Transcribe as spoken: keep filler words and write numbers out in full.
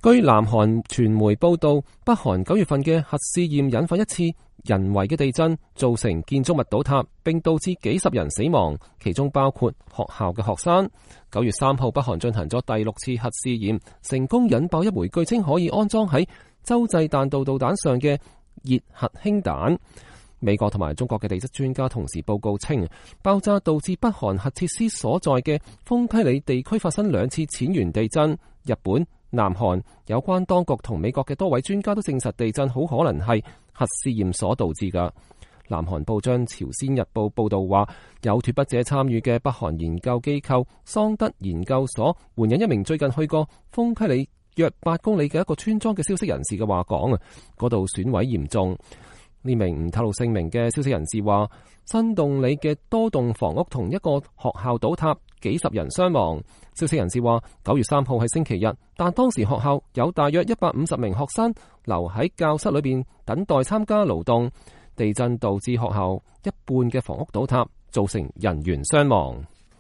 據南韓傳媒報道，北韓九月份嘅核試驗引發一次人為嘅地震，造成建築物倒塌，並導致幾十人死亡，其中包括學校嘅學生。九月三號，北韓進行咗第六次核試驗，成功引爆一枚據稱可以安裝喺洲際彈道導彈上嘅熱核氫彈。美國同埋中國嘅地質專家同時報告稱，爆炸導致北韓核設施所在嘅豐溪里地區發生兩次淺源地震。日本、南韓有關當局同美國嘅多位專家都證實地震好可能係核試驗所導致㗎。南韓報章朝鮮日報報道話，有脫北者參與嘅北韓研究機構桑德研究所援引一名最近去過豐溪里約八公里嘅一個村莊嘅消息人士嘅話講啊，嗰度損毀嚴重。呢名唔透露姓名嘅消息人士話，新洞里嘅多棟房屋同一個學校倒塌，幾十人傷亡。消息人士話，九月三號係星期日，但當時學校有大約一百五十名學生留喺教室裏邊等待參加勞動。地震導致學校一半嘅房屋倒塌，造成人員傷亡。